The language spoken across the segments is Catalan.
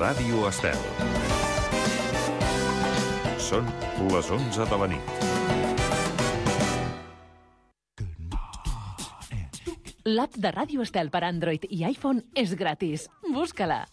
Ràdio Estel. Són les 11 de la nit. L'app de Ràdio Estel per Android i iPhone és gratis. Busca-la.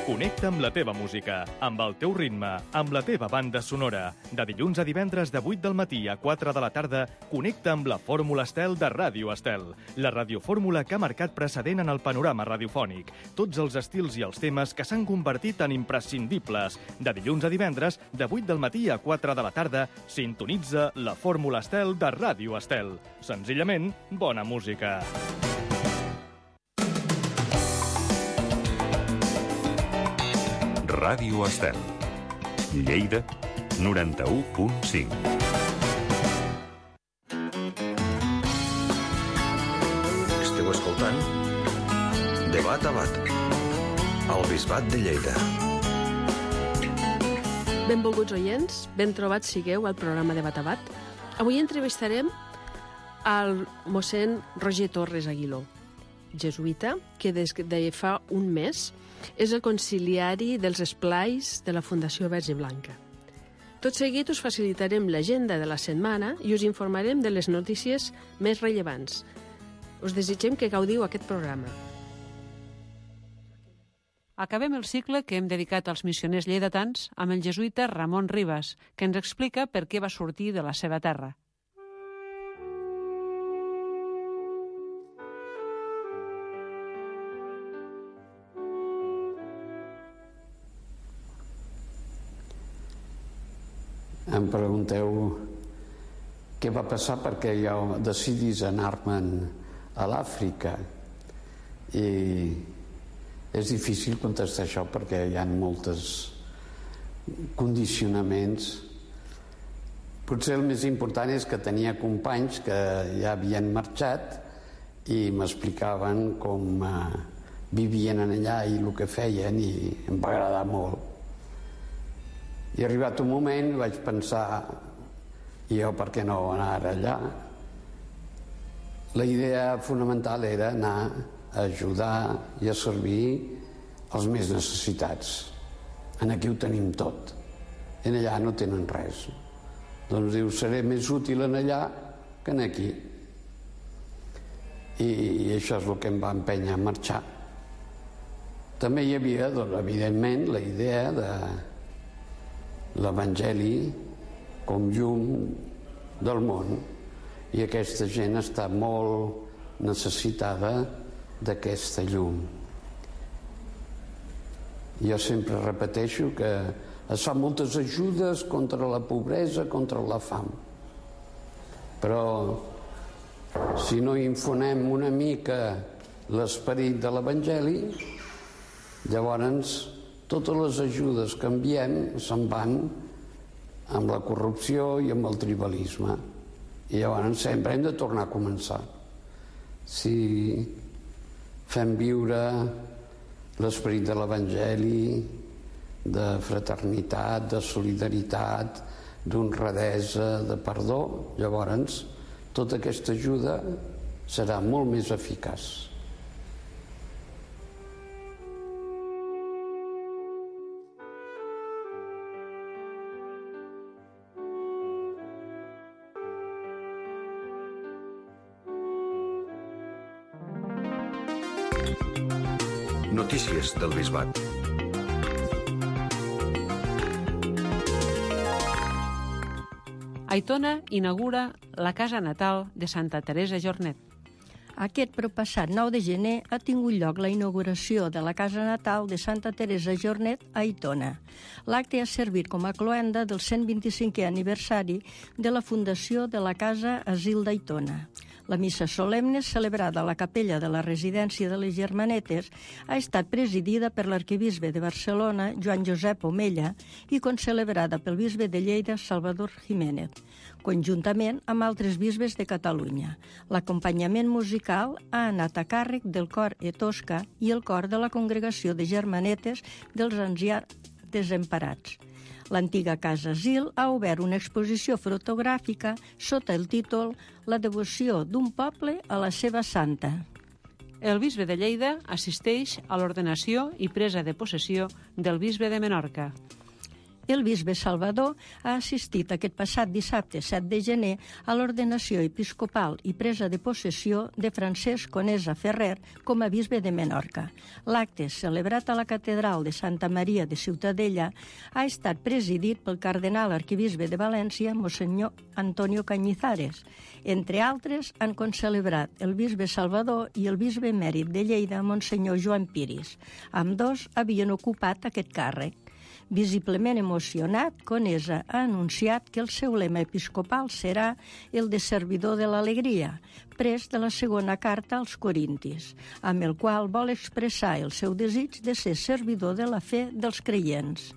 Connecta amb la teva música, amb el teu ritme, amb la teva banda sonora. De dilluns a divendres de 8 del matí a 4 de la tarda, connecta amb la Fórmula Estel de Ràdio Estel. La radiofórmula que ha marcat precedent en el panorama radiofònic. Tots els estils i els temes que s'han convertit en imprescindibles. De dilluns a divendres, de 8 del matí a 4 de la tarda, sintonitza la Fórmula Estel de Ràdio Estel. Senzillament, bona música. Ràdio Estel. Lleida, 91.5. Esteu escoltant Debat a Bat, al Bisbat de Lleida. Benvolguts oients, ben trobats sigueu al programa Debat a Bat. Avui entrevistarem al mossèn Roger Torres Aguiló, jesuïta, que des de fa un mes és el conciliari dels esplais de la Fundació Verge Blanca. Tot seguit us facilitarem l'agenda de la setmana i us informarem de les notícies més rellevants. Us desitgem que gaudiu aquest programa. Acabem el cicle que hem dedicat als missioners lleidatans amb el jesuïta Ramon Ribas, que ens explica per què va sortir de la seva terra. Em pregunteu què va passar perquè jo decidís anar-me'n a l'Àfrica, i és difícil contestar això perquè hi ha molts condicionaments. Potser el més important és que tenia companys que ja havien marxat i m'explicaven com vivien allà i el que feien, i em va agradar molt. I arribat un moment vaig pensar, i jo per què no anar allà? La idea fonamental era anar a ajudar i a servir els més necessitats. En aquí ho tenim tot, en allà no tenen res. Doncs diu, seré més útil en allà que en aquí. I això és el que em va empènyer a marxar. També hi havia, doncs, evidentment, la idea de l'Evangeli com llum del món, i aquesta gent està molt necessitada d'aquesta llum. Jo sempre repeteixo que es fan moltes ajudes contra la pobresa, contra la fam, però si no infonem una mica l'esperit de l'Evangeli, llavors totes les ajudes que enviem se'n van amb la corrupció i amb el tribalisme, i llavors sempre hem de tornar a començar. Si fem viure l'esperit de l'Evangeli, de fraternitat, de solidaritat, d'honradesa, de perdó, llavors tota aquesta ajuda serà molt més eficaç. Notícies del Bisbat. Aitona inaugura la casa natal de Santa Teresa Jornet. Aquest proppassat 9 de gener ha tingut lloc la inauguració de la casa natal de Santa Teresa Jornet a Aitona. L'acte ha servit com a cloenda del 125è aniversari de la fundació de la Casa Asil d'Aitona. La missa solemne, celebrada a la capella de la residència de les Germanetes, ha estat presidida per l'arquebisbe de Barcelona, Joan Josep Omella, i concelebrada pel bisbe de Lleida, Salvador Jiménez, conjuntament amb altres bisbes de Catalunya. L'acompanyament musical ha anat a càrrec del cor Etosca i el cor de la Congregació de Germanetes dels Ancians Desemparats. L'antiga Casa Asil ha obert una exposició fotogràfica sota el títol La devoció d'un poble a la seva santa. El bisbe de Lleida assisteix a l'ordenació i presa de possessió del bisbe de Menorca. El bisbe Salvador ha assistit aquest passat dissabte 7 de gener a l'ordenació episcopal i presa de possessió de Francesc Conesa Ferrer com a bisbe de Menorca. L'acte, celebrat a la catedral de Santa Maria de Ciutadella, ha estat presidit pel cardenal arquebisbe de València, Monsenyor Antonio Cañizares. Entre altres, han concelebrat el bisbe Salvador i el bisbe emèrit de Lleida, Monsenyor Joan Piris. Ambdós havien ocupat aquest càrrec. Visiblement emocionat, Conesa ha anunciat que el seu lema episcopal serà el de servidor de l'alegria, pres de la segona carta als Corintis, amb el qual vol expressar el seu desig de ser servidor de la fe dels creients.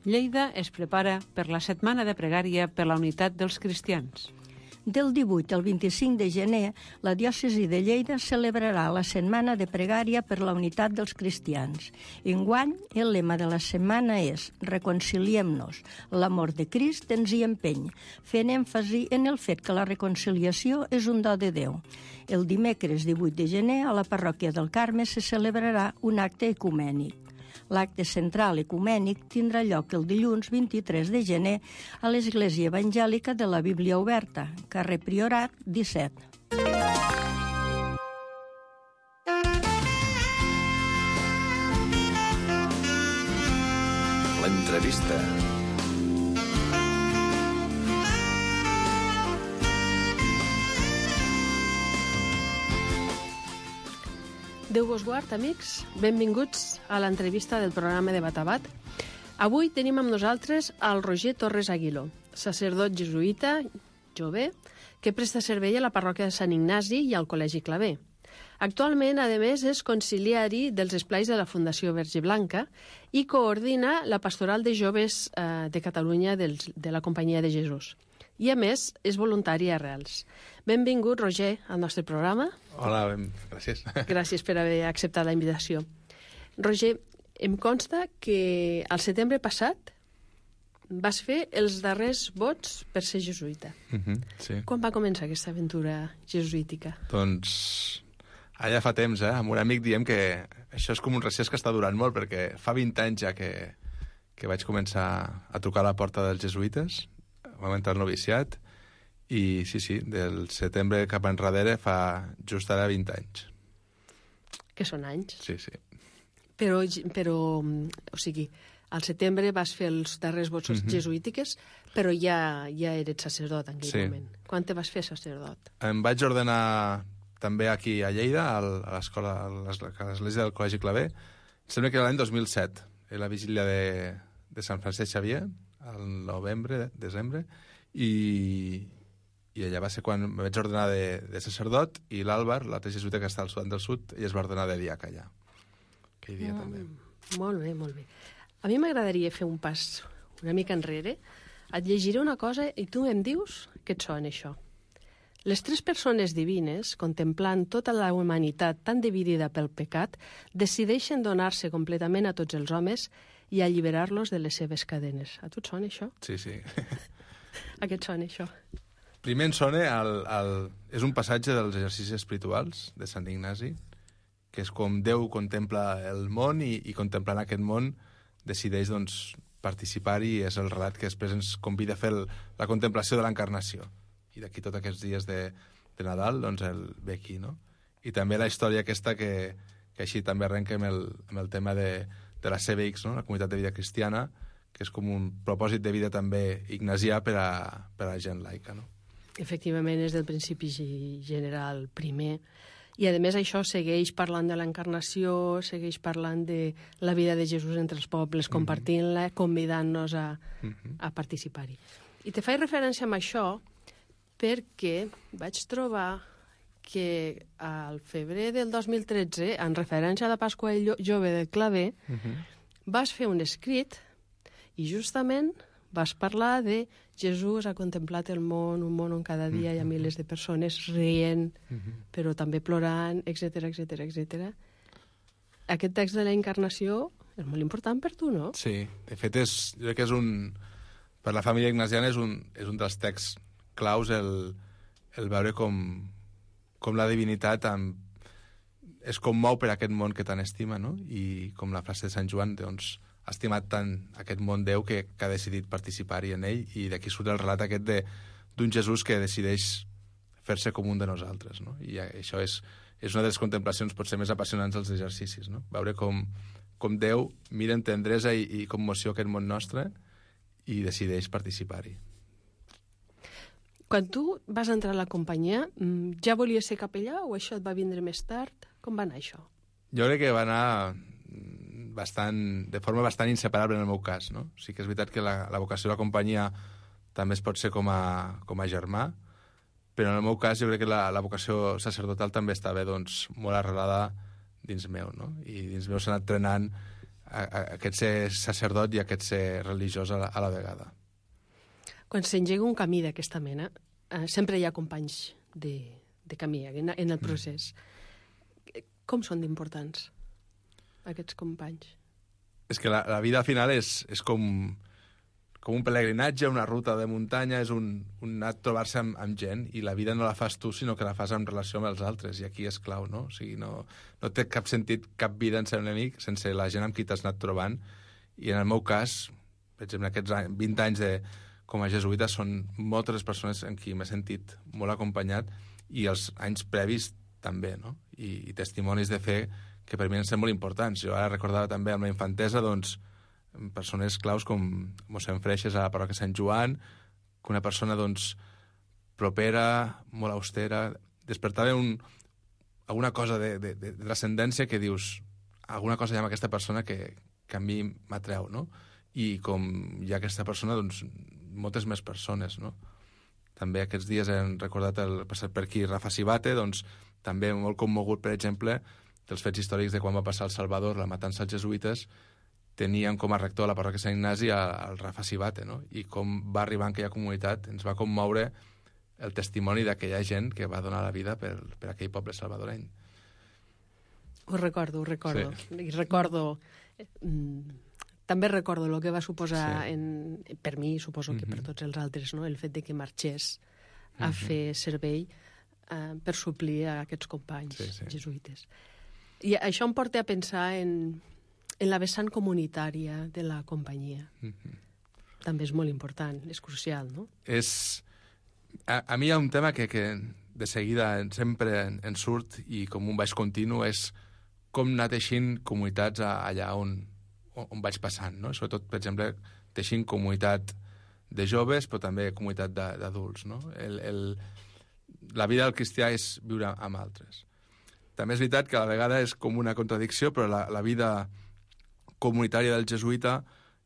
Lleida es prepara per la setmana de pregària per la unitat dels cristians. Del 18 al 25 de gener, la diòcesi de Lleida celebrarà la setmana de pregària per la unitat dels cristians. Enguany, el lema de la setmana és Reconciliem-nos, l'amor de Crist ens hi empeny, fent èmfasi en el fet que la reconciliació és un do de Déu. El dimecres 18 de gener, a la parròquia del Carme se celebrarà un acte ecumènic. L'acte central ecumènic tindrà lloc el dilluns 23 de gener a l'Església Evangèlica de la Bíblia Oberta, carrer Priorat 17. L'entrevista. Déu vos guard, amics. Benvinguts a l'entrevista del programa de Batabat. Avui tenim amb nosaltres el Roger Torres Aguiló, sacerdot jesuïta, jove, que presta servei a la parròquia de Sant Ignasi i al Col·legi Claver. Actualment, a més, és conciliari dels esplais de la Fundació Verge Blanca i coordina la pastoral de joves de Catalunya de la Companyia de Jesús. I, a més, és voluntari a Arrels. Benvingut, Roger, al nostre programa. Hola, gràcies. Gràcies per haver acceptat la invitació. Roger, em consta que al setembre passat vas fer els darrers vots per ser jesuïta. Sí. Quan va començar aquesta aventura jesuítica? Doncs allà fa temps, amb un amic diem que això és com un recés que està durant molt, perquè fa 20 anys ja que vaig començar a trucar a la porta dels jesuïtes, vam entrar al noviciat, i sí, del setembre cap enrere fa just ara 20 anys. Que són anys. Sí. Però, o sigui, al setembre vas fer els darrers vots jesuítiques, però ja eres sacerdot en aquell moment. Quan te vas fer sacerdot? Em vaig ordenar també aquí a Lleida, a l'escola, a l'església del Col·legi Claver. Em sembla que era l'any 2007, la vigília de Sant Francesc Xavier, al novembre, desembre, i allà va ser quan em vaig ordenar de sacerdot, i l'Àlvar, l'altre jesuïta que està al Sudan del Sud, ell es va ordenar de diaca allà. Aquell dia també. Molt bé, molt bé. A mi m'agradaria fer un pas una mica enrere. Et llegiré una cosa i tu em dius què et sona això. Les tres persones divines, contemplant tota la humanitat tan dividida pel pecat, decideixen donar-se completament a tots els homes i alliberar-los de les seves cadenes. A tu et sona això? Sí. A què et sona això? Primer em sona, és un passatge dels exercicis espirituals de Sant Ignasi, que és com Déu contempla el món i contemplant aquest món decideix participar-hi, i és el relat que després ens convida a fer la contemplació de l'encarnació. I d'aquí tots aquests dies de Nadal el ve aquí, no? I també la història aquesta que així també arrenca amb el tema de la CBX, no? La Comunitat de Vida Cristiana, que és com un propòsit de vida també ignasià per a gent laica, no? Efectivament, és del principi general primer. I, a més, això segueix parlant de l'encarnació, segueix parlant de la vida de Jesús entre els pobles, compartint-la, convidant-nos a participar-hi. I te faig referència amb això perquè vaig trobar que al febrer del 2013, en referència a la Pasqua Jove del Claver, vas fer un escrit i justament vas parlar de Jesús ha contemplat el món, un món on cada dia hi ha milers de persones rient, però també plorant, etc. Aquest text de la Encarnació És molt important per tu, no? Sí, de fet, jo crec que és per la família ignasiana és un dels texts claus el veure com la divinitat es commou per aquest món que tant estima, no? I com la frase de Sant Joan, doncs, ha estimat tant aquest món Déu que ha decidit participar-hi en ell, i d'aquí surt el relat aquest d'un Jesús que decideix fer-se com un de nosaltres, no? I això és una de les contemplacions potser més apassionants dels exercicis, no? Veure com Déu mira amb tendresa i commoció aquest món nostre i decideix participar-hi. Quan tu vas entrar a la companyia, ja volies ser capellà o això et va vindre més tard? Com va anar això? Jo crec que va anar de forma bastant inseparable en el meu cas, no? Sí que és veritat que la vocació de la companyia també es pot ser com a germà, però en el meu cas jo crec que la vocació sacerdotal també estava doncs, molt arrelada dins meu, no? I dins meu s'ha anat trenant aquest ser sacerdot i aquest ser religiós a la vegada. Quan s'engega un camí d'aquesta mena, sempre hi ha companys de camí en el procés. Com són d'importants aquests companys? És que la vida al final és com un pelegrinatge, una ruta de muntanya, és un anar a trobar-se amb gent, i la vida no la fas tu, sinó que la fas en relació amb els altres, i aquí és clau, no? O sigui, no té cap sentit, cap vida en ser un amic sense la gent amb qui t'has anat trobant, i en el meu cas, per exemple, aquests 20 anys com a jesuïta són moltes les persones en qui m'he sentit molt acompanyat, i els anys previs també, no? I testimonis de fe que per mi han estat molt importants. Jo ara recordava també amb la infantesa, doncs, persones claus com mossèn Freixes a la parròquia Sant Joan, que una persona doncs, propera, molt austera, despertava alguna cosa de transcendència que dius, alguna cosa hi ha amb aquesta persona que a mi m'atreu, no? I com hi ha aquesta persona, doncs, moltes més persones, no? També aquests dies hem recordat el passat per aquí Rafa Sibate, doncs també molt commogut, per exemple, dels fets històrics de quan va passar al Salvador, la matança als jesuïtes, tenien com a rector a la parròquia Sant Ignasi el Rafa Sibate, no? I com va arribar en aquella comunitat, ens va commoure el testimoni d'aquella gent que va donar la vida per aquell poble salvadoreny. Ho recordo. Sí. I recordo... També recordo el que va suposar, per mi, suposo que per tots els altres, no? El fet de que marxés a fer servei per suplir a aquests companys jesuïtes. I això em porta a pensar en la vessant comunitària de la companyia. També és molt important, és crucial, no? A mi hi ha un tema que de seguida sempre en surt, i com un baix continu, és com anar teixint comunitats allà on vaig passant, no? Sobretot, per exemple, teixint comunitat de joves, però també comunitat d'adults, no? La vida del cristià és viure amb altres. També és veritat que a la vegada és com una contradicció, però la vida comunitària del jesuïta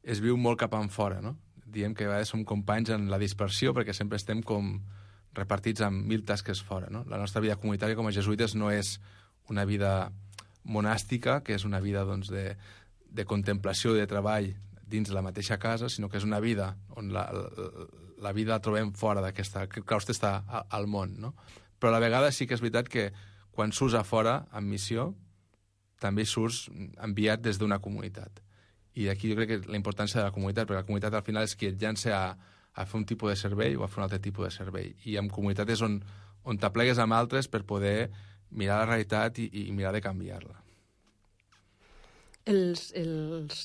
es viu molt cap enfora, no? Diem que a vegades som companys en la dispersió, perquè sempre estem com repartits amb 1000 tasques fora, no? La nostra vida comunitària com a jesuïtes no és una vida monàstica, que és una vida, doncs, de contemplació i de treball dins la mateixa casa, sinó que és una vida on la vida la trobem fora d'aquesta... que claustre està al món, no? Però a la vegada sí que és veritat que quan surts a fora, en missió, també surts enviat des d'una comunitat. I d'aquí jo crec que la importància de la comunitat, perquè la comunitat al final és qui et llança a fer un tipus de servei o a fer un altre tipus de servei. I en comunitat és on t'aplegues amb altres per poder mirar la realitat i mirar de canviar-la. Els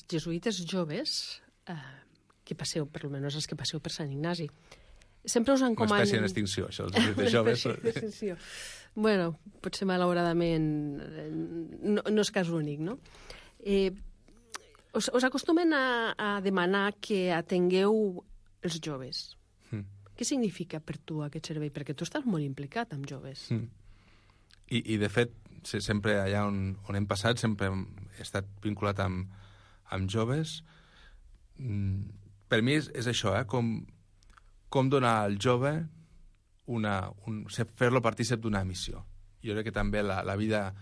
jesuïtes joves, que passeu, per almenys els que passeu per Sant Ignasi, sempre us encomanen... Una espècie en extinció, això, els jesuïtes joves. Una espècie en extinció. Bueno, potser malauradament no és cas únic, no? Us acostumen a demanar que atengueu els joves. Què significa per tu aquest servei? Perquè tu estàs molt implicat amb joves. I de fet, sempre allà on hem passat, sempre he estat vinculat amb joves. Per mi és això, com donar al jove fer-lo partícip d'una missió. Jo crec que també la vida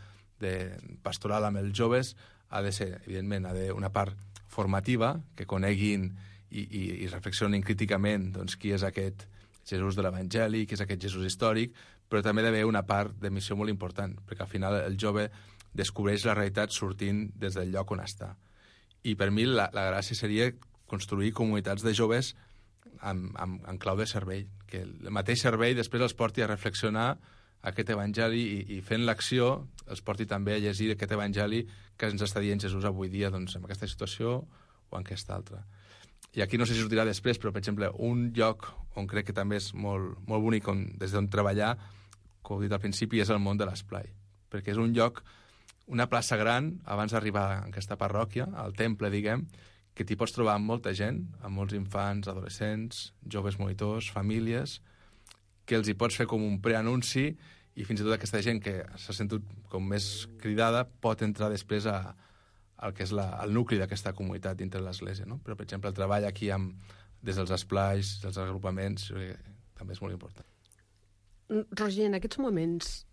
pastoral amb els joves ha de ser, evidentment, una part formativa, que coneguin i reflexionin críticament, doncs, qui és aquest Jesús de l'Evangeli, qui és aquest Jesús històric, però també ha d'haver una part de missió molt important, perquè al final el jove descobreix la realitat sortint des del lloc on està. I per mi la gràcia seria construir comunitats de joves en clau de servei, que el mateix servei després els porti a reflexionar aquest evangeli i fent l'acció els porti també a llegir aquest evangeli que ens està dient Jesús avui dia, doncs, en aquesta situació o en aquesta altra. I aquí no sé si sortirà després, però, per exemple, un lloc on crec que també és molt, molt bonic des d'on treballar, com he dit al principi, és el món de l'esplai, perquè és un lloc, una plaça gran, abans d'arribar a aquesta parròquia, al temple, diguem, que t'hi pots trobar amb molta gent, amb molts infants, adolescents, joves monitors, famílies, que els hi pots fer com un preanunci i fins i tot aquesta gent que s'ha sentit com més cridada pot entrar després al que és el nucli d'aquesta comunitat dintre de l'Església, no? Però, per exemple, el treball aquí des dels esplais, dels agrupaments, també és molt important. Roger, en aquests moments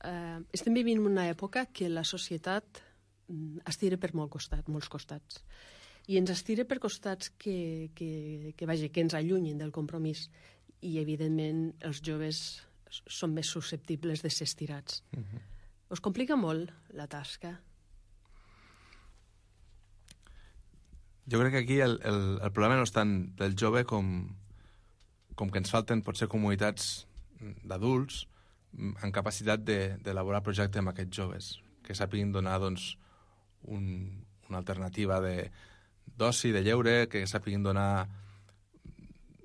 estem vivint una època que la societat estira per molts costats. I ens estira per costats que ens allunyin del compromís. I, evidentment, els joves són més susceptibles de ser estirats. Us complica molt la tasca? Jo crec que aquí el problema no és tant del jove com que ens falten potser comunitats d'adults en capacitat d'elaborar projectes amb aquests joves, que sàpiguin donar doncs, una alternativa d'oci, de lleure, que sàpiguin donar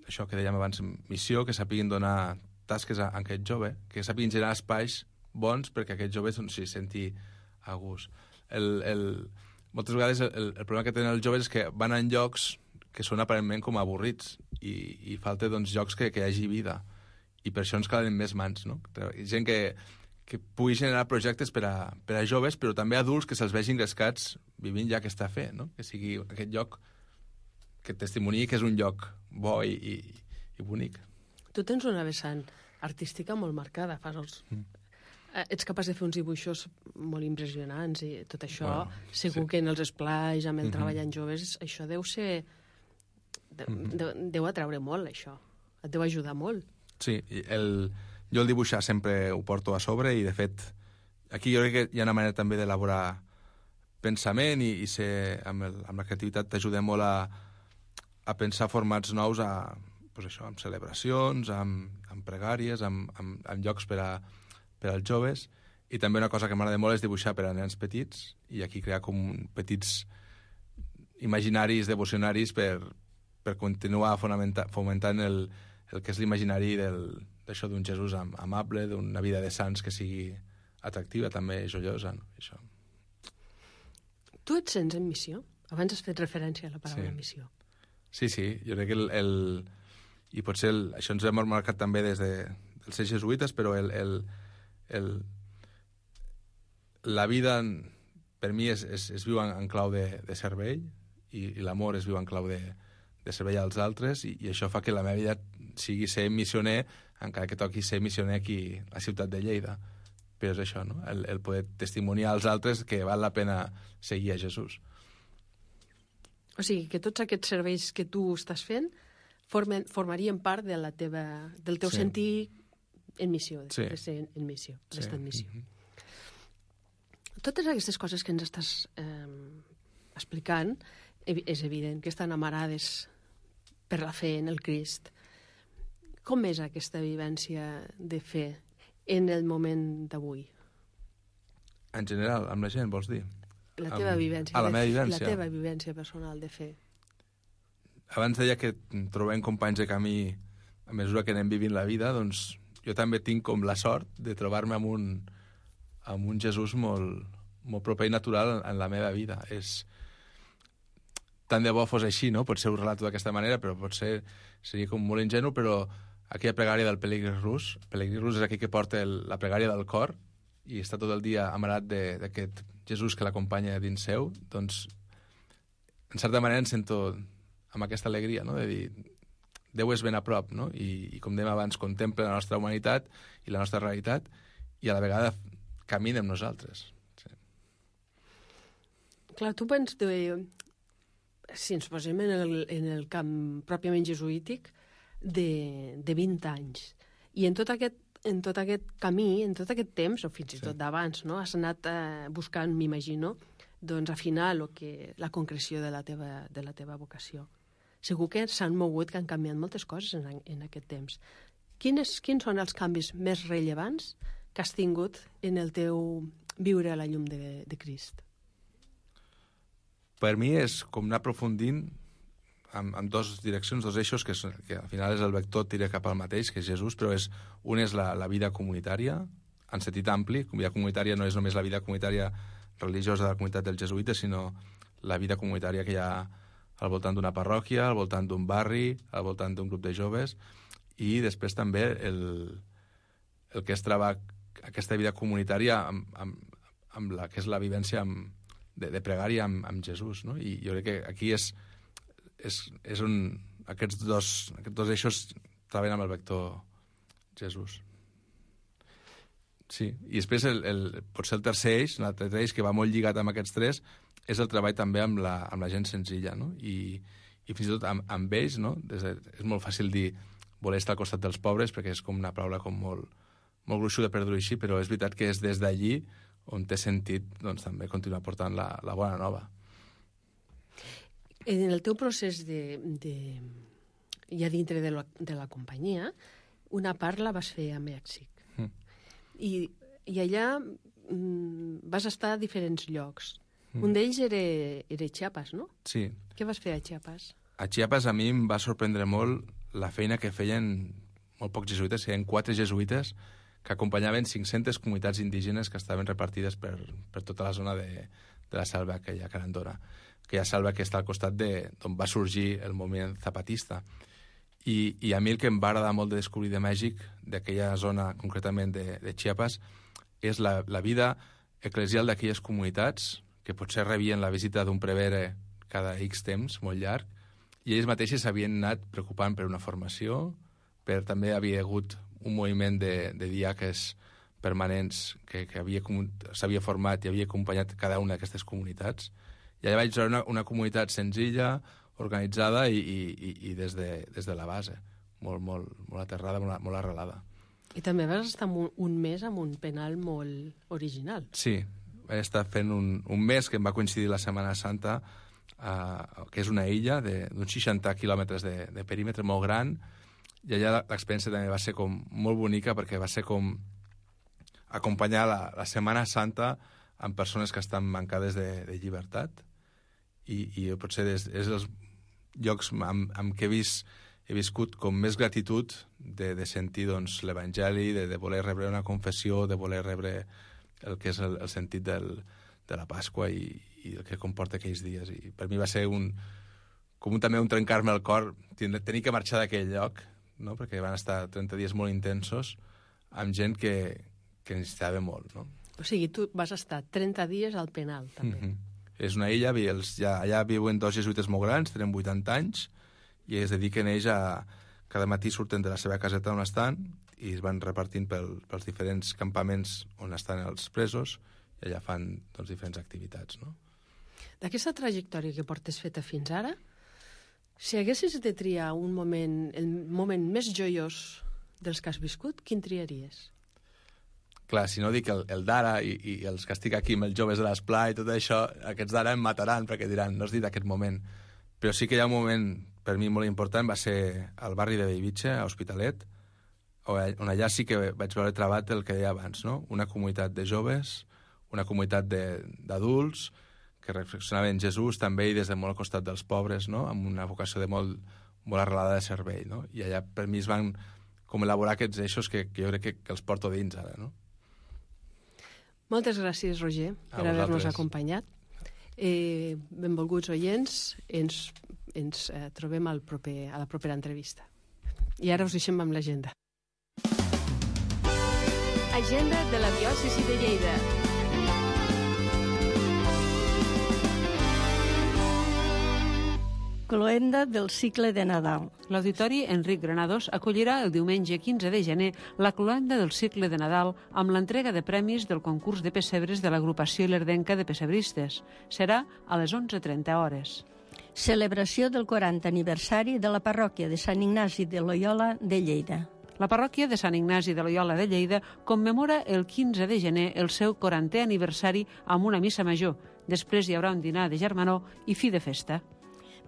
això que dèiem abans, missió, que sàpiguin donar tasques a aquest jove, que sàpiguin generar espais bons perquè aquest jove s'hi senti a gust. Moltes vegades el problema que tenen els joves és que van en llocs que són aparentment com avorrits i falta doncs, llocs que hi hagi vida. I per això ens calen més mans, no? Gent que pugui generar projectes per a joves, però també adults que se'ls vegin grescats vivint ja aquesta fe, no? Que sigui aquest lloc que testimoniï que és un lloc bo i bonic. Tu tens una vessant artística molt marcada, ets capaç de fer uns dibuixos molt impressionants i tot això, segur que en els esplais, amb el treball en joves, això deu ser... deu atraure molt, això. Et deu ajudar molt. Sí, jo el dibuixar sempre ho porto a sobre i, de fet, aquí jo crec que hi ha una manera també d'elaborar pensament i ser, amb la creativitat t'ajuda molt a pensar formats nous amb celebracions, amb pregàries, amb llocs per als joves, i també una cosa que m'agrada molt és dibuixar per a nens petits i aquí crear com petits imaginaris devocionaris per continuar fomentant el que és l'imaginari d'això d'un Jesús amable, d'una vida de sants que sigui atractiva, també joiosa. No? Això. Tu et sents en missió? Abans has fet referència a la paraula missió. Sí, jo crec que i potser això ens hem marcat també des dels ser jesuïtes, però la vida per mi es viu en clau de servei i l'amor es viu en clau de servei als altres i això fa que la meva vida sigui ser missioner, encara que toqui ser missioner aquí a la ciutat de Lleida. Però és això, no? El poder testimoniar als altres que val la pena seguir a Jesús. O sigui, que tots aquests serveis que tu estàs fent formarien part del teu sentir en missió, de ser en missió, d'estar en missió. Totes aquestes coses que ens estàs explicant, és evident que estan amarades per la fe en el Crist. Com és aquesta vivència de fe en el moment d'avui? En general, amb la gent, vols dir? La teva vivència. La meva vivència. La teva vivència personal de fe. Abans deia que trobem companys de camí a mesura que anem vivint la vida, doncs jo també tinc com la sort de trobar-me amb un Jesús molt, molt proper i natural en la meva vida. Tant de bo fos així, no? Potser ho relato d'aquesta manera, però potser seria com molt ingenu, però aquella pregària del pelegrí rus és aquell que porta la pregària del cor i està tot el dia amarat d'aquest Jesús que l'acompanya dins seu, doncs, en certa manera em sento amb aquesta alegria, no? De dir, Déu és ben a prop, no? I com dèiem abans, contempla la nostra humanitat i la nostra realitat i a la vegada camina amb nosaltres. Sí. Clar, tu penses si ens posem en el camp pròpiament jesuític, de 20 anys. I en tot aquest camí, en tot aquest temps, o fins i tot d'abans, no? Has anat buscant, m'imagino, doncs, afinar la concreció de la teva vocació. Segur que s'han mogut, que han canviat moltes coses en aquest temps. Quins són els canvis més rellevants que has tingut en el teu viure a la llum de Crist? Per mi és com anar aprofundint en dues direccions, dos eixos, que al final és el vector, tira cap al mateix, que és Jesús, però un és la vida comunitària, en sentit ampli. La vida comunitària no és només la vida comunitària religiosa de la comunitat dels jesuïtes, sinó la vida comunitària que hi ha al voltant d'una parròquia, al voltant d'un barri, al voltant d'un grup de joves, i després també el que es troba aquesta vida comunitària amb la que és la vivència de pregària amb Jesús, no? I jo crec que aquí és on aquests dos eixos treballen amb el vector Jesús. Sí, i després potser el tercer eix, l'altre eix que va molt lligat amb aquests tres, és el treball també amb la gent senzilla, no? I fins i tot amb ells, no? És molt fàcil dir voler estar al costat dels pobres, perquè és com una paraula com molt gruixuda per dir-ho així, però és veritat que és des d'allí on té sentit doncs, també continuar portant la bona nova. En el teu procés ja dintre de la companyia, una part la vas fer a Mèxic. I allà vas estar a diferents llocs. Un d'ells era Chiapas, no? Sí. Què vas fer a Chiapas? A Chiapas a mi em va sorprendre molt la feina que feien molt pocs jesuïtes, hi havia 4 jesuïtes que acompanyaven 500 comunitats indígenes que estaven repartides per tota la zona de la selva aquella Carandona, aquella selva que està al costat d'on va sorgir el moviment zapatista. I a mi el que em va agradar molt de descobrir de Mèxic, d'aquella zona concretament de Chiapas, és la vida eclesial d'aquelles comunitats que potser rebien la visita d'un prevere cada X temps, molt llarg, i ells mateixos s'havien anat preocupant per una formació, també havia hagut un moviment de diaques permanents que s'havia format i havia acompanyat cada una d'aquestes comunitats. I allà vaig trobar una comunitat senzilla, organitzada i des de la base, molt aterrada, molt arrelada. I també vas estar un mes amb un penal molt original. Sí, vaig estar fent un mes que em va coincidir la Setmana Santa, que és una illa d'uns 60 quilòmetres de perímetre molt gran, i allà l'experiència també va ser com molt bonica perquè va ser com acompanyar la Setmana Santa amb persones que estan mancades de llibertat i potser és els llocs amb què he viscut com més gratitud de sentir doncs, l'Evangeli, de voler rebre una confessió, de voler rebre el que és el sentit de la Pasqua i el que comporta aquells dies. I per mi va ser també un trencar-me el cor tenir que marxar d'aquell lloc, no? Perquè van estar 30 dies molt intensos amb gent que necessitava molt. No? O sigui, tu vas estar 30 dies al penal, també. És una illa, allà viuen 2 jesuïtes molt grans, tenen 80 anys, i es dediquen ells cada matí surten de la seva caseta on estan i es van repartint pels diferents campaments on estan els presos i allà fan doncs, diferents activitats. No? D'aquesta trajectòria que portes feta fins ara, si haguessis de triar el moment més joiós dels que has viscut, quin triaries? Clar, si no dic el d'ara i els que estic aquí amb els joves de l'Esplà i tot això, aquests d'ara em mataran perquè diran, no has dit aquest moment. Però sí que hi ha un moment per mi molt important, va ser al barri de Bellvitge, a Hospitalet, on allà sí que vaig veure trebat el que deia abans, no? Una comunitat de joves, una comunitat d'adults que reflexionaven en Jesús també i des de molt al costat dels pobres, no? Amb una vocació de molt arrelada de servei, no? I allà per mi es van com elaborar aquests eixos que jo crec que els porto dins ara, no? Moltes gràcies, Roger, per haver-nos acompanyat. Benvolguts oients, ens trobem a la propera entrevista. I ara us deixem amb l'agenda. Agenda de la diòcesi de Lleida. Cloenda del cicle de Nadal. L'Auditori Enric Granados acollirà el diumenge 15 de gener la cloenda del cicle de Nadal amb l'entrega de premis del concurs de pessebres de l'agrupació ilerdenca de pessebristes. Serà a les 11:30 hores. Celebració del 40 aniversari de la parròquia de Sant Ignasi de Loyola de Lleida. La parròquia de Sant Ignasi de Loyola de Lleida commemora el 15 de gener el seu 40è aniversari amb una missa major, Després hi haurà un dinar de germanor i fi de festa.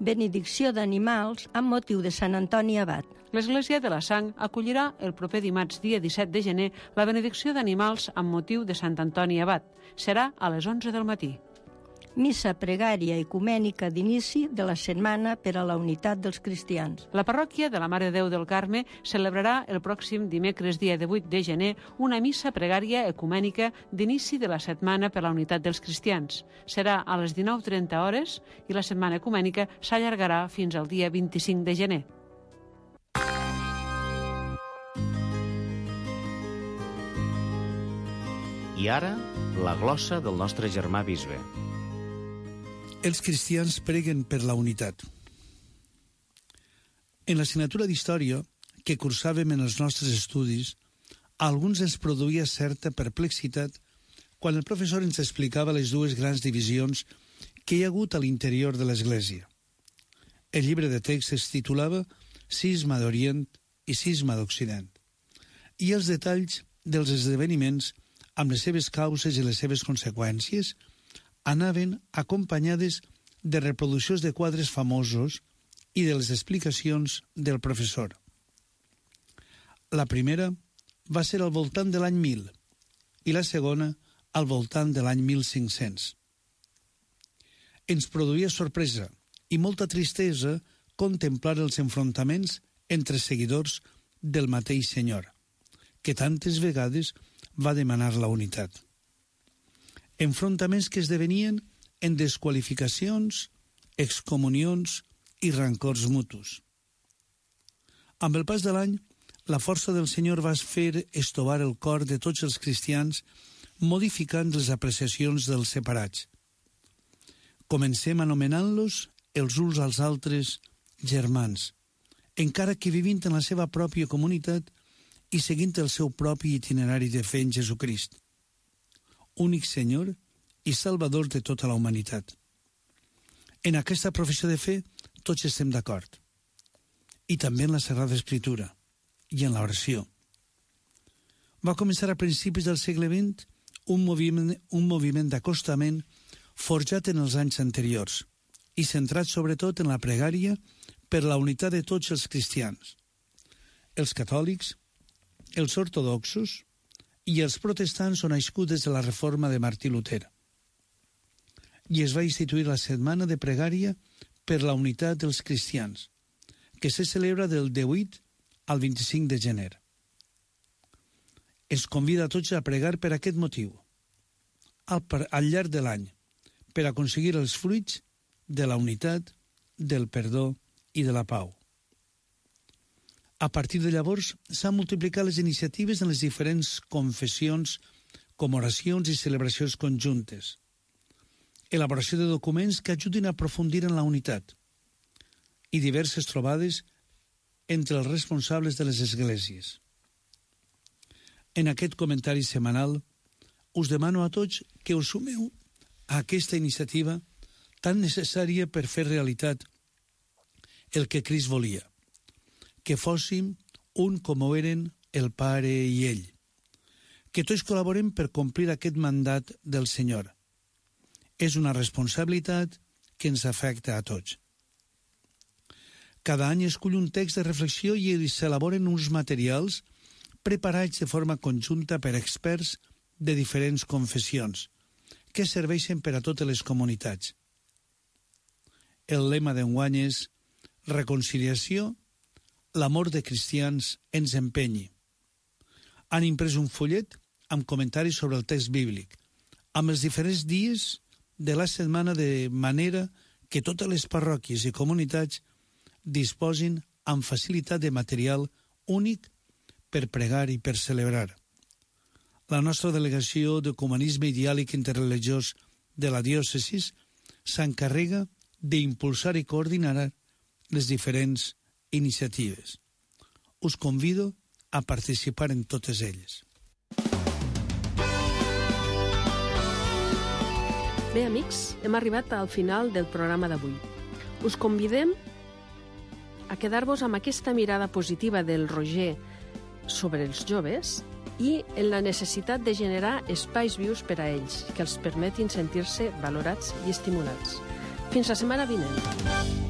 Benedicció d'animals amb motiu de Sant Antoni Abat. L'Església de la Sang acollirà el proper dimarts, dia 17 de gener, la benedicció d'animals amb motiu de Sant Antoni Abat. Serà a les 11 del matí. Missa pregària ecumènica d'inici de la setmana per a la unitat dels cristians. La parròquia de la Mare de Déu del Carme celebrarà el pròxim dimecres, dia 18 de gener, una missa pregària ecumènica d'inici de la setmana per a la unitat dels cristians. Serà a les 19:30 hores i la setmana ecumènica s'allargarà fins al dia 25 de gener. I ara, la glossa del nostre germà bisbe. Els cristians preguen per la unitat. En l'assignatura d'Història, que cursàvem en els nostres estudis, a alguns ens produïa certa perplexitat quan el professor ens explicava les dues grans divisions que hi ha hagut a l'interior de l'Església. El llibre de text es titulava Cisma d'Orient i Cisma d'Occident, i els detalls dels esdeveniments, amb les seves causes i les seves conseqüències, anaven acompanyades de reproduccions de quadres famosos i de les explicacions del professor. La primera va ser al voltant de l'any 1000 i la segona al voltant de l'any 1500. Ens produïa sorpresa i molta tristesa contemplar els enfrontaments entre seguidors del mateix Senyor, que tantes vegades va demanar la unitat. Enfrontaments que esdevenien en desqualificacions, excomunions i rancors mutus. Amb el pas de l'any, la força del Senyor va fer estovar el cor de tots els cristians, modificant les apreciacions dels separats. Comencem anomenant-los els uns als altres germans, encara que vivint en la seva pròpia comunitat i seguint el seu propi itinerari de fe en Jesucrist, únic Senyor i Salvador de tota la humanitat. En aquesta professió de fe tots estem d'acord, i també en la Sagrada Escritura i en l'oració. Va començar a principis del segle XX un moviment d'acostament forjat en els anys anteriors i centrat sobretot en la pregària per la unitat de tots els cristians, els catòlics, els ortodoxos i els protestants són nascuts des de la reforma de Martí Luter. I es va instituir la setmana de pregària per la unitat dels cristians, que se celebra del 18 al 25 de gener. Es convida a tots a pregar per aquest motiu, al llarg de l'any, per aconseguir els fruits de la unitat, del perdó i de la pau. A partir de llavors, s'han multiplicat les iniciatives en les diferents confessions, com oracions i celebracions conjuntes, elaboració de documents que ajudin a aprofundir en la unitat i diverses trobades entre els responsables de les esglésies. En aquest comentari setmanal, us demano a tots que us sumeu a aquesta iniciativa tan necessària per fer realitat el que Crist volia, que fóssim un com ho eren el Pare i ell, que tots col·laborem per complir aquest mandat del Senyor. És una responsabilitat que ens afecta a tots. Cada any escull un text de reflexió i s'elaboren uns materials preparats de forma conjunta per experts de diferents confessions, que serveixen per a totes les comunitats. El lema d'enguany és reconciliació, l'amor de cristians ens empenyi. Han imprès un fullet amb comentaris sobre el text bíblic, amb els diferents dies de la setmana, de manera que totes les parròquies i comunitats disposin amb facilitat de material únic per pregar i per celebrar. La nostra delegació d'Ecumenisme i Diàleg Interreligiós de la diòcesis s'encarrega d'impulsar i coordinar les diferents iniciatives. Us convido a participar en totes elles. Bé, amics, hem arribat al final del programa d'avui. Us convidem a quedar-vos amb aquesta mirada positiva del Roger sobre els joves i en la necessitat de generar espais vius per a ells, que els permetin sentir-se valorats i estimulats. Fins la setmana vinent.